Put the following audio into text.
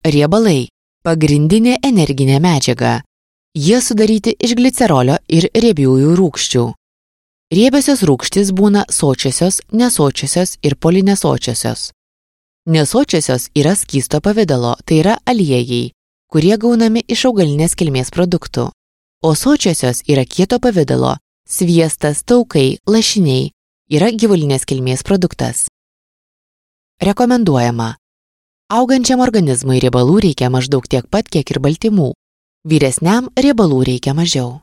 Riebalai – pagrindinė energinė medžiaga. Jie sudaryti iš glicerolio ir riebiųjų rūgščių. Riebiosios rūgštys būna sočiosios, nesočiosios ir polinesočiosios. Nesočiosios yra skysto pavidalo, tai yra aliejai, kurie gaunami iš augalinės kilmės produktų, o sočiosios yra kieto pavidalo, sviestas, taukai, lašiniai, yra gyvulinės kilmės produktas. Rekomenduojama. Augančiam organizmui riebalų reikia maždaug tiek pat, kiek ir baltymų. Vyresniam riebalų reikia mažiau.